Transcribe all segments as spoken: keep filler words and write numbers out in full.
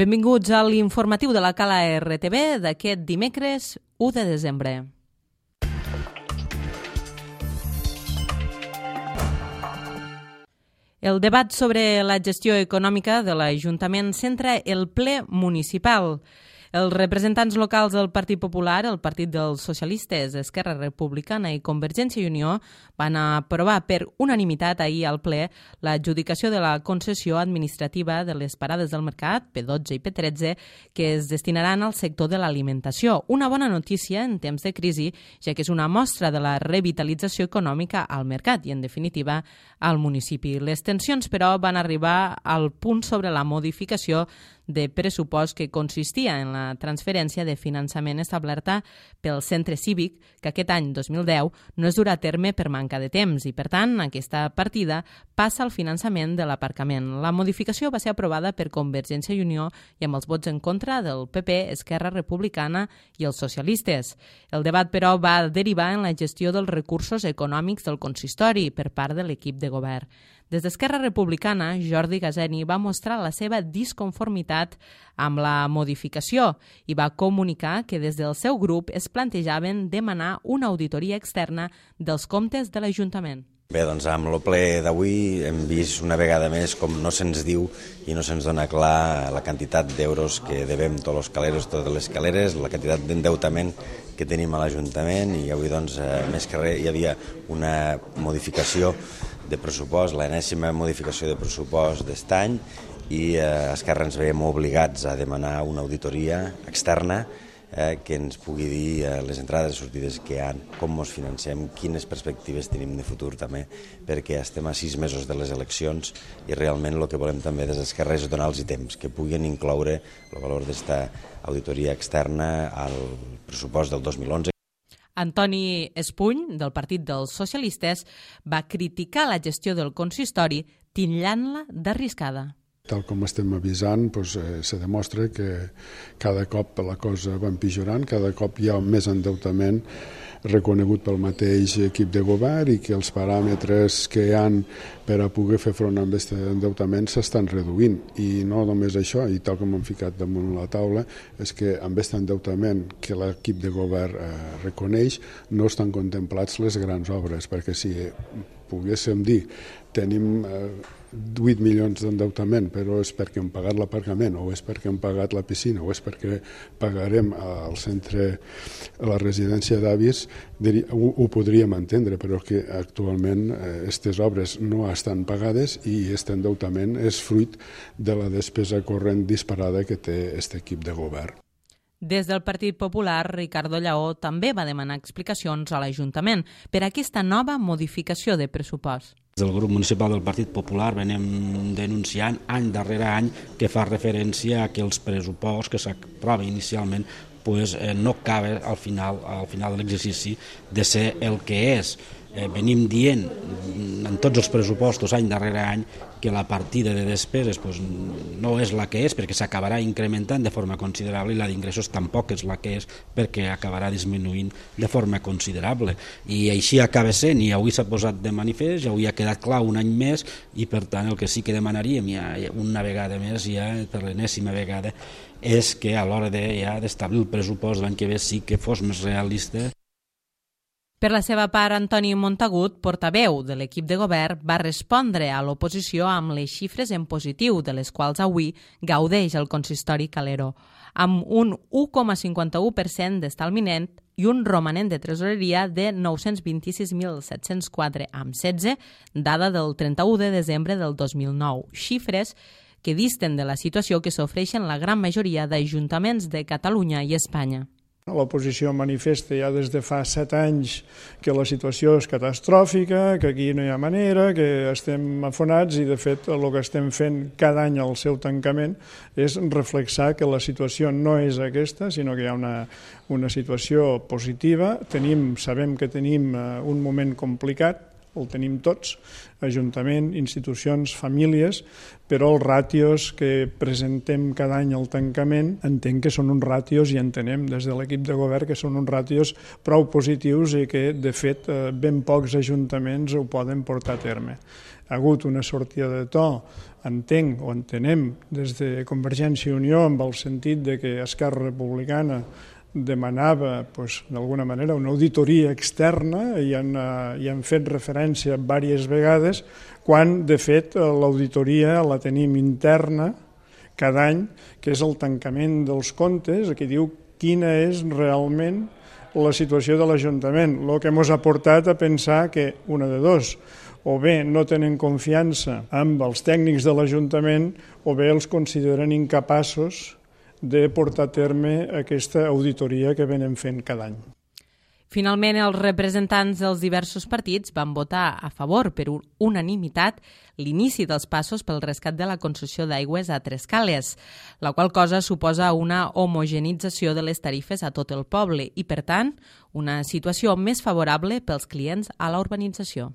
Benvinguts a l'informatiu de la Cala R T V d'aquest dimecres u de desembre. El debat sobre la gestió econòmica de l'Ajuntament centra el ple municipal. Els representants locals del Partit Popular, el Partit dels Socialistes, Esquerra Republicana i Convergència i Unió van aprovar per unanimitat ahir al ple l'adjudicació de la concessió administrativa de les parades del mercat, P dotze i P tretze, que es destinaran al sector de l'alimentació. Una bona notícia en temps de crisi, ja que és una mostra de la revitalització econòmica al mercat i, en definitiva, al municipi. Les tensions, però, van arribar al punt sobre la modificació de pressupost que consistia en la transferència de finançament establerta pel centre cívic, que aquest any dos mil deu no es durà a terme per manca de temps i, per tant, aquesta partida passa al finançament de l'aparcament. La modificació va ser aprovada per Convergència i Unió i amb els vots en contra del P P, Esquerra Republicana i els socialistes. El debat, però, va derivar en la gestió dels recursos econòmics del consistori per part de l'equip de govern. Des d'Esquerra Republicana, Jordi Gazeni va mostrar la seva disconformitat amb la modificació i va comunicar que des del seu grup es plantejaven demanar una auditoria externa dels comptes de l'Ajuntament. Bé, doncs amb el ple d'avui hem vist una vegada més com no se'ns diu i no se'ns dona clar la quantitat d'euros que devem tots els caleros, totes les caleres, la quantitat d'endeutament que tenim a l'Ajuntament i avui, doncs, més que res, hi havia una modificació de pressupost, l'enèsima modificació de pressupost d'est any i a Esquerra ens veiem obligats a demanar una auditoria externa eh, que ens pugui dir eh, les entrades i sortides que hi ha, com ens financem, quines perspectives tenim de futur també, perquè estem a sis mesos de les eleccions i realment el que volem també des d'Esquerra és donar-los temps, que puguin incloure el valor d'esta auditoria externa al pressupost del dos mil onze. Antoni Espuny, del Partit dels Socialistes, va criticar la gestió del consistori titllant-la d'arriscada. Tal com estem avisant, doncs, eh, se demostra que cada cop la cosa va empitjorant, cada cop hi ha més endeutament reconegut pel mateix equip de govern i que els paràmetres que hi ha per a poder fer front a aquest endeutament s'estan reduint. I no només això, i tal com hem ficat damunt la taula, és que amb aquest endeutament que l'equip de govern eh, reconeix no estan contemplats les grans obres, perquè si poguéssim dir tenim eh, vuit milions d'endeutament, però és perquè hem pagat l'aparcament, o és perquè hem pagat la piscina, o és perquè pagarem al centre, a la residència d'avis, ho, ho podríem entendre, però que actualment aquestes obres no estan pagades i aquest endeutament és fruit de la despesa corrent disparada que té aquest equip de govern. Des del Partit Popular, Ricardo Lleó també va demanar explicacions a l'Ajuntament per aquesta nova modificació de pressupost. Des del grup municipal del Partit Popular venim denunciant any darrere any que fa referència a que els pressuposts que s'aprova inicialment pues, eh, no cabe al final, al final de l'exercici de ser el que és. Eh, venim dient en tots els pressupostos any darrere any que la partida de despeses pues, no és la que és perquè s'acabarà incrementant de forma considerable i la d'ingressos tampoc és la que és perquè acabarà disminuint de forma considerable. I així acaba sent i avui s'ha posat de manifest, ja avui ha quedat clar un any més i per tant el que sí que demanaríem ja una vegada més, ja per l'enèsima vegada, és que a l'hora de, ja, d'establir el pressupost l'any que ve sí que fos més realista. Per la seva part, Antoni Montagut, portaveu de l'equip de govern, va respondre a l'oposició amb les xifres en positiu, de les quals avui gaudeix el consistori Calero, amb un u coma cinquanta-u per cent d'estalvi net i un romanent de tresoreria de nou-cents vint-i-sis mil set-cents quatre coma setze, dada del trenta-u de desembre del dos mil nou. Xifres que disten de la situació que s'ofereixen la gran majoria d'ajuntaments de Catalunya i Espanya. L'oposició manifesta ja des de fa set anys que la situació és catastròfica, que aquí no hi ha manera, que estem afonats i, de fet, el que estem fent cada any al seu tancament és reflexar que la situació no és aquesta, sinó que hi ha una, una situació positiva. Tenim, sabem que tenim un moment complicat, el tenim tots, Ajuntament, institucions, famílies, però els ràtios que presentem cada any al tancament entenc que són uns ràtios, i entenem des de l'equip de govern que són uns ràtios prou positius i que, de fet, ben pocs ajuntaments ho poden portar a terme. Ha hagut una sortida de to, entenc o entenem des de Convergència i Unió, amb el sentit de que Esquerra Republicana demanava, doncs, d'alguna manera, una auditoria externa, i han, hi han fet referència diverses vegades, quan, de fet, l'auditoria la tenim interna cada any, que és el tancament dels comptes, que diu quina és realment la situació de l'Ajuntament, el que ens ha portat a pensar que, una de dos, o bé no tenen confiança amb els tècnics de l'Ajuntament, o bé els consideren incapaços de portar a terme aquesta auditoria que venen fent cada any. Finalment, els representants dels diversos partits van votar a favor per unanimitat l'inici dels passos pel rescat de la concessió d'aigües a Trescales, la qual cosa suposa una homogenització de les tarifes a tot el poble i, per tant, una situació més favorable pels clients a la urbanització.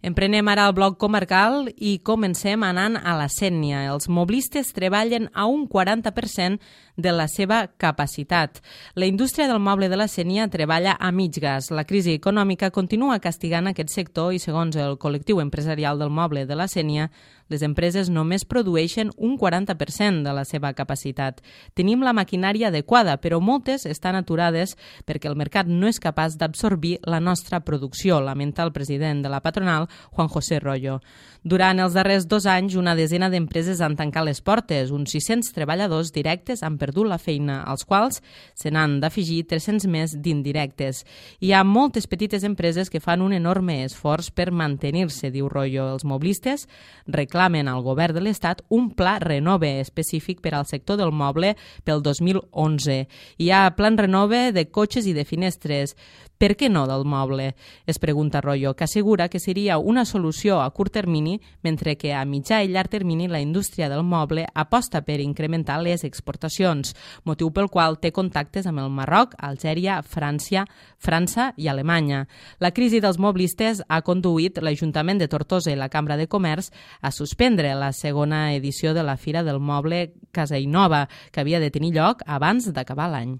Emprenem ara el bloc comarcal i comencem anant a la Sénia. Els moblistes treballen a un quaranta per cent de la seva capacitat. La indústria del moble de la Sénia treballa a mig gas. La crisi econòmica continua castigant aquest sector i, segons el col·lectiu empresarial del moble de la Sénia, les empreses només produeixen un quaranta per cent de la seva capacitat. Tenim la maquinària adequada, però moltes estan aturades perquè el mercat no és capaç d'absorbir la nostra producció, lamenta el president de la patronal, Juan José Royo. Durant els darrers dos anys, una desena d'empreses han tancat les portes. Uns sis-cents treballadors directes han perdut la feina, als quals se n'han d'afegir tres-cents més d'indirectes. Hi ha moltes petites empreses que fan un enorme esforç per mantenir-se, diu Royo. Els moblistes reclamen al govern de l'Estat un pla Renove específic per al sector del moble pel dos mil onze. Hi ha plan Renove de cotxes i de finestres. Per què no del moble? Es pregunta Royo, que assegura que seria una solució a curt termini, mentre que a mitjà i llarg termini la indústria del moble aposta per incrementar les exportacions, motiu pel qual té contactes amb el Marroc, Algèria, França, França i Alemanya. La crisi dels moblistes ha conduït l'Ajuntament de Tortosa i la Cambra de Comerç a suspendre la segona edició de la Fira del Moble Casainova, que havia de tenir lloc abans d'acabar l'any.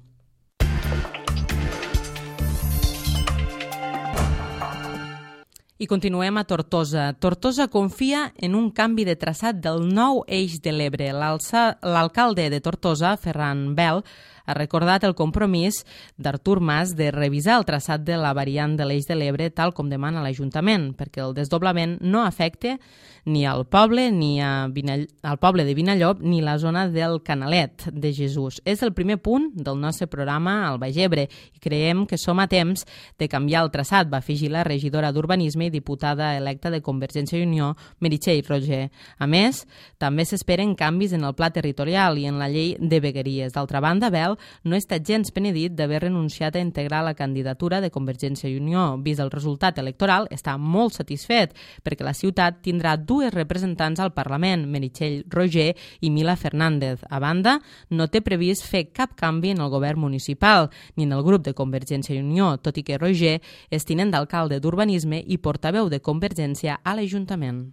I continuem a Tortosa. Tortosa confia en un canvi de traçat del nou eix de l'Ebre. L'alcalde de Tortosa, Ferran Bel, ha recordat el compromís d'Artur Mas de revisar el traçat de la variant de l'eix de l'Ebre tal com demana l'Ajuntament, perquè el desdoblament no afecte ni al poble ni a Vinall... al poble de Vinallop ni la zona del Canalet de Jesús. És el primer punt del nostre programa al Baix Ebre i creiem que som a temps de canviar el traçat, va afegir la regidora d'Urbanisme i diputada electa de Convergència i Unió, Meritxell Roger. A més, també s'esperen canvis en el pla territorial i en la llei de vegueries. D'altra banda, Bel no està gens penedit d'haver renunciat a integrar la candidatura de Convergència i Unió. Vist el resultat electoral, està molt satisfet perquè la ciutat tindrà dues representants al Parlament, Meritxell Roger i Mila Fernández. A banda, no té previst fer cap canvi en el govern municipal ni en el grup de Convergència i Unió, tot i que Roger és tinent d'alcalde d'Urbanisme i portaveu de Convergència a l'Ajuntament.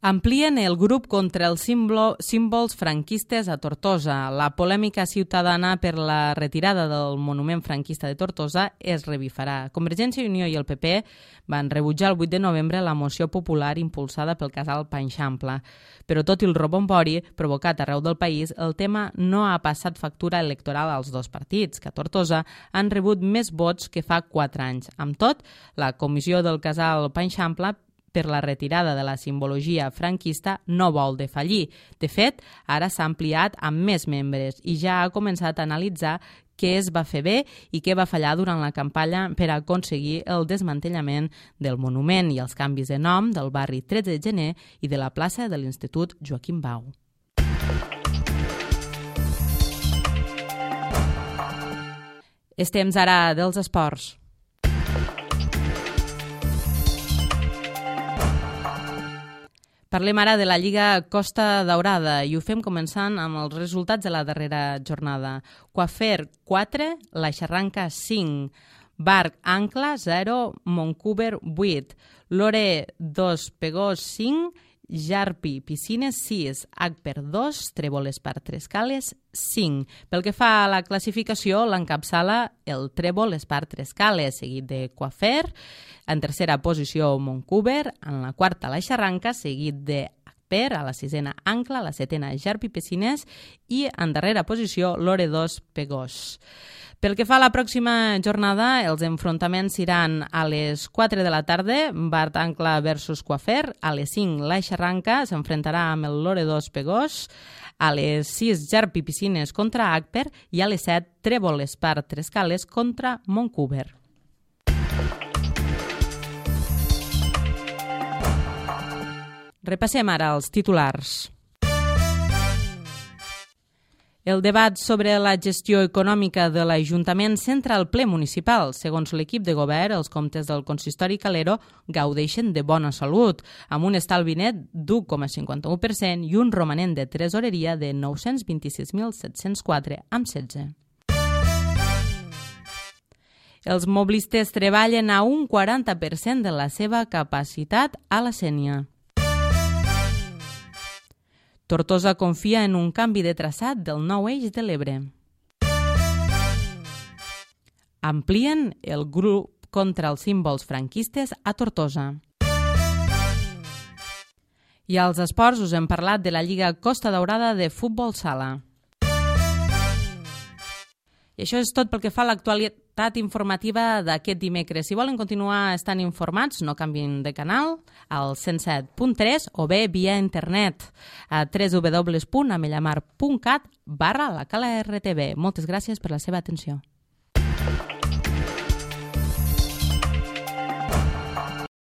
Amplien el grup contra els símbols franquistes a Tortosa. La polèmica ciutadana per la retirada del monument franquista de Tortosa es revifarà. Convergència i Unió i el P P van rebutjar el vuit de novembre la moció popular impulsada pel casal Panxampla. Però tot i el rebombori provocat arreu del país, el tema no ha passat factura electoral als dos partits, que a Tortosa han rebut més vots que fa quatre anys. Amb tot, la comissió del casal Panxampla per la retirada de la simbologia franquista no vol defallir. De fet, ara s'ha ampliat amb més membres i ja ha començat a analitzar què es va fer bé i què va fallar durant la campanya per aconseguir el desmantellament del monument i els canvis de nom del barri tretze de gener i de la plaça de l'Institut Joaquim Bau. És temps ara dels esports. Parlem ara de la Lliga Costa Daurada i ho fem començant amb els resultats de la darrera jornada. Coafer quatre, La Xarranca cinc, Barc Ancla zero, Montcuber vuit, Lore dos, Pegós cinc, Jarpi Piscines sis, Agper dos, Trèvoles per Trescales cinc. Pel que fa a la classificació, l'encapçala el Trèvoles per Trescales, seguit de Coafer. En tercera posició, Montcuber. En la quarta, La Xarranca, seguit de Agper. A la sisena, Ancla. A la setena, Jarpi Piscines. I en darrera posició, Lore dos, Pegós. Pel que fa a la pròxima jornada, els enfrontaments seran a les quatre de la tarda, Barc Ancla versus Coafer, a les cinc La Xarranca s'enfrontarà amb el Lore dos Pegós, a les sis Jarpi Piscines contra Agper i a les set Trèvoles per Trescales contra Montcuber. Repassem ara els titulars. El debat sobre la gestió econòmica de l'Ajuntament centra el ple municipal. Segons l'equip de govern, els comptes del consistori Calero gaudeixen de bona salut, amb un estalvi net d'u coma cinquanta-u per cent i un romanent de tresoreria de nou-cents vint-i-sis mil set-cents quatre amb setze. Els moblistes treballen a un quaranta per cent de la seva capacitat a la Sénia. Tortosa confia en un canvi de traçat del nou eix de l'Ebre. Amplien el grup contra els símbols franquistes a Tortosa. I als esports us hem parlat de la Lliga Costa Daurada de futbol sala. I això és tot pel que fa a l'actualitat informativa d'aquest dimecres. Si volen continuar estant informats, no canvien de canal al cent set punt tres o bé via internet a w w w punt amellamar punt cat barra la cala R T V. Moltes gràcies per la seva atenció.